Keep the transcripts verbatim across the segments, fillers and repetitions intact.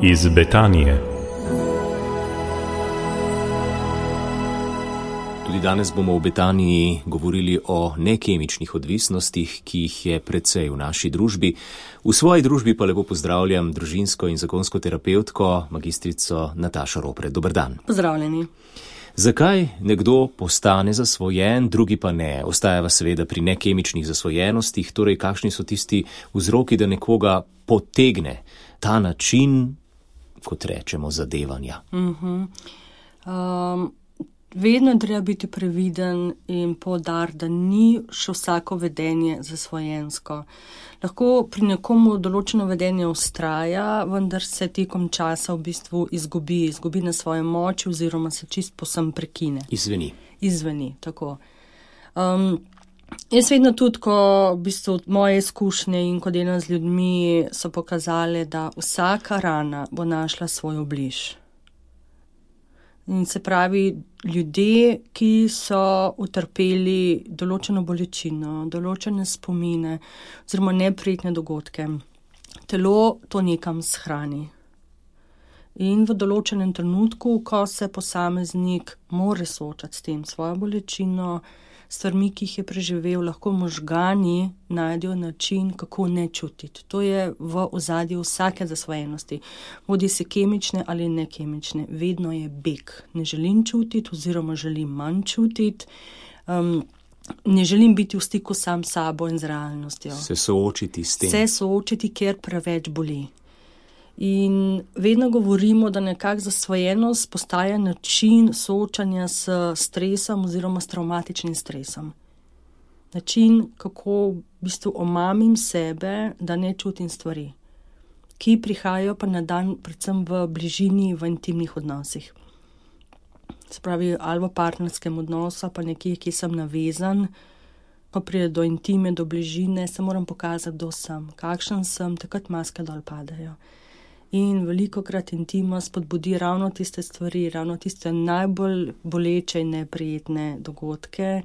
Iz Betanije. Tudi danes bomo v Betaniji govorili o nekemičnih odvisnostih, ki jih je precej v naši družbi. V svoji družbi pa lepo pozdravljam družinsko in zakonsko terapevtko, magistrico Natašo Ropret. Dober dan. Pozdravljeni. Zakaj nekdo postane zasvojen, drugi pa ne? Ostajava seveda pri nekemičnih zasvojenostih, torej kakšni so tisti vzroki, da nekoga potegne ta način, kot rečemo, zadevanja? Uh-huh. Um, vedno je treba biti previden in poudariti, da ni še vsako vedenje zasvojensko. Lahko pri nekomu določeno vedenje vztraja, vendar se tekom časa v bistvu izgubi, izgubi na svoje moči oziroma se čist posem prekine. Izveni. Izveni, tako. Um, jaz vedno tudi, ko v bistvu moje izkušnje in ko delam z ljudmi, so pokazale, da vsaka rana bo našla svoj obliž. In se pravi, ljudje, ki so utrpeli določeno bolečino, določene spomine oziroma neprijetne dogodke, telo to nekam shrani. In v določenem trenutku, ko se posameznik more soočati s tem svojo bolečino, stvarmi, ki jih je preživel, lahko možgani najdejo način, kako ne čutiti. To je v ozadju vsake zasvojenosti. Bodi si kemične ali nekemične. Vedno je beg. Ne želim čutiti oziroma želim manj čutiti. Um, ne želim biti v stiku sam s sabo in z realnostjo. Se soočiti s tem. Se soočiti, ker preveč boli. In vedno govorimo, da nekak zasvojenost postaja način soočanja s stresom oziroma s travmatičnim stresom. Način, kako v bistvu omamim sebe, da ne čutim stvari, ki prihajajo pa na dan predvsem v bližini, v intimnih odnosih. Se pravi, ali v partnerskem odnosu, pa nekje, ki sem navezan, ko pride do intime, do bližine, se moram pokazati, kdo sem, kakšen sem, takrat maske dol padajo. In velikokrat intima spodbudi ravno tiste stvari, ravno tiste najbolj boleče in neprijetne dogodke,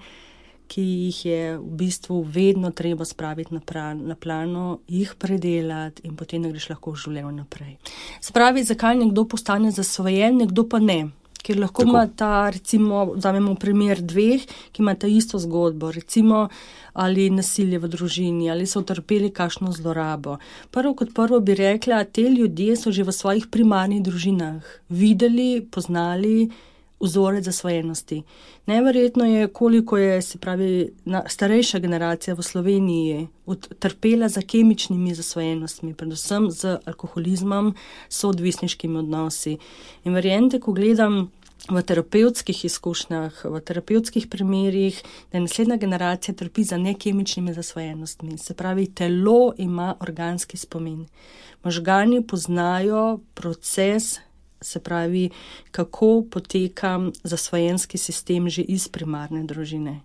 ki jih je v bistvu vedno treba spraviti na, pra, na plano, jih predelati in potem ne greš lahko v življenju naprej. Se pravi, zakaj nekdo postane zasvojen, nekdo pa ne. Ker lahko Tako. ima ta, recimo, vzamemo primer dveh, ki ima ta isto zgodbo, recimo, ali nasilje v družini, ali so utrpeli kakšno zlorabo. Prvo kot prvo bi rekla, te ljudje so že v svojih primarnih družinah videli, poznali vzorec zasvojenosti. Neverjetno je, koliko je, se pravi, starejša generacija v Sloveniji utrpela za kemičnimi zasvojenostmi, predvsem z alkoholizmom, soodvisniškimi odnosi. In verjente, ko gledam v terapevtskih izkušnjah, v terapevtskih primerih, da naslednja generacija trpi za nekemičnimi zasvojenostmi. Se pravi, telo ima organski spomin. Možgani poznajo proces, se pravi, kako poteka zasvojenski sistem že iz primarne družine.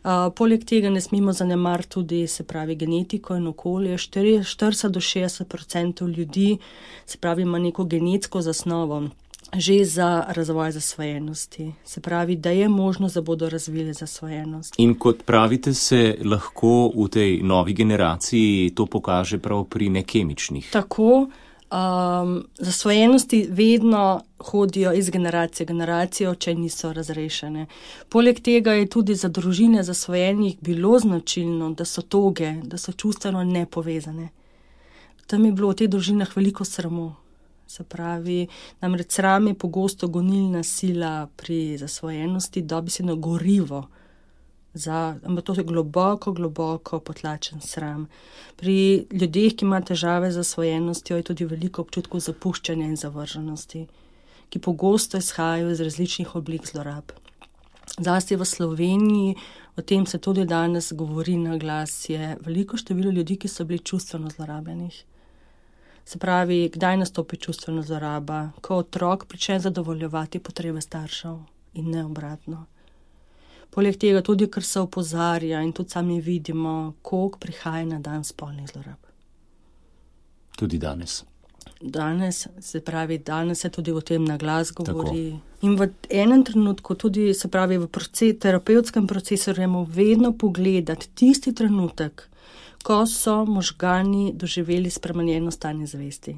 Uh, poleg tega ne smemo zanemariti tudi, se pravi, genetiko in okolje. štirideset do šestdeset odstotkov ljudi, se pravi, ima neko genetsko zasnovo že za razvoj zasvojenosti. Se pravi, da je možnost, da bodo razvili zasvojenost. In kot pravite, se lahko v tej novi generaciji to pokaže prav pri nekemičnih. Tako. Um, zasvojenosti vedno hodijo iz generacije v generacijo, če niso razrešene. Poleg tega je tudi za družine zasvojenih bilo značilno, da so toge, da so čustveno nepovezane. Tam je bilo v teh družinah veliko sramu. Se pravi, namreč sram je pogosto gonilna sila pri zasvojenosti, dobi se na gorivo. Za, ampak to je globoko, globoko potlačen sram. Pri ljudeh, ki ima težave z zasvojenostjo, je tudi veliko občutkov zapuščanja in zavrženosti, ki pogosto izhajajo iz različnih oblik zlorab. Zlasti v Sloveniji, o tem se tudi danes govori na glas, je veliko število ljudi, ki so bili čustveno zlorabljenih. Se pravi, kdaj nastopi čustvena zloraba? Ko otrok prične zadovoljevati potrebe staršev in ne obratno. Poleg tega tudi, ker se opozarja in tudi sami vidimo, koliko prihaja na dan spolnih zlorab. Tudi danes. Danes, se pravi, danes se tudi o tem na glas govori. Tako. In v enem trenutku tudi, se pravi, v proces, terapevtskem procesu moramo vedno pogledati tisti trenutek, ko so možgani doživeli spremenjeno stanje zavesti.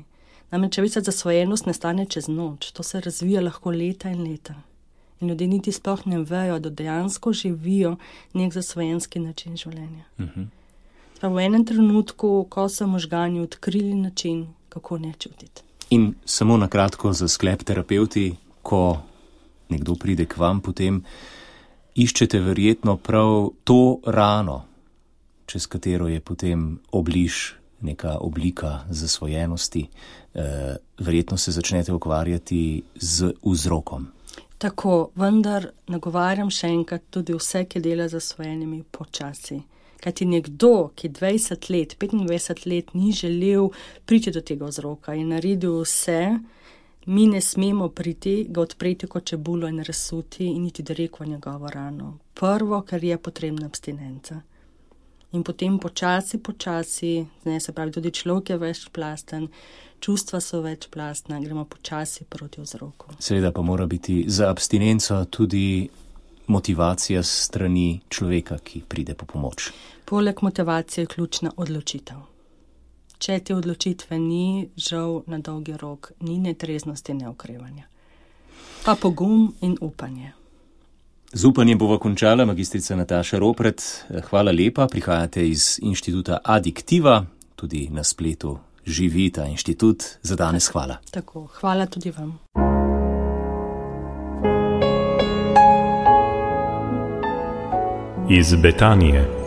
Namreč, veste, zasvojenost ne stane čez noč, to se razvija lahko leta in leta. In ljudje niti sploh ne vejo, da dejansko živijo nek zasvojenski način življenja. Uh-huh. V enem trenutku, ko so možgani odkrili način, kako ne čutiti. In samo na kratko za sklep terapevti, ko nekdo pride k vam, potem iščete verjetno prav to rano, čez katero je potem obliž neka oblika zasvojenosti. E, verjetno se začnete ukvarjati z vzrokom. Tako, vendar nagovarjam še enkrat tudi vse, ki dela z zasvojenimi počasi. Kajti nekdo, ki dvajset let, petindvajset let ni želel priti do tega vzroka in naredil vse, mi ne smemo priti, ga odpreti kot čebulo in razsuti in iti direkt v njegovo rano. Prvo, kar je potrebna abstinenca. In potem počasi, počasi, ne, se pravi, tudi človek je večplasten, čustva so večplastna, gremo počasi proti vzroku. Seveda pa mora biti za abstinenco tudi motivacija strani človeka, ki pride po pomoč. Poleg motivacije je ključna odločitev. Če te odločitve ni, žal na dolgi rok ni ne treznosti, ne okrevanja. Pa pogum in upanje. Z upanjem bova končala, magistrica Nataša Ropret. Hvala lepa, prihajate iz inštituta Adiktiva, tudi na spletu živi ta inštitut. Za danes hvala. Tako, hvala tudi vam. Iz Betanije.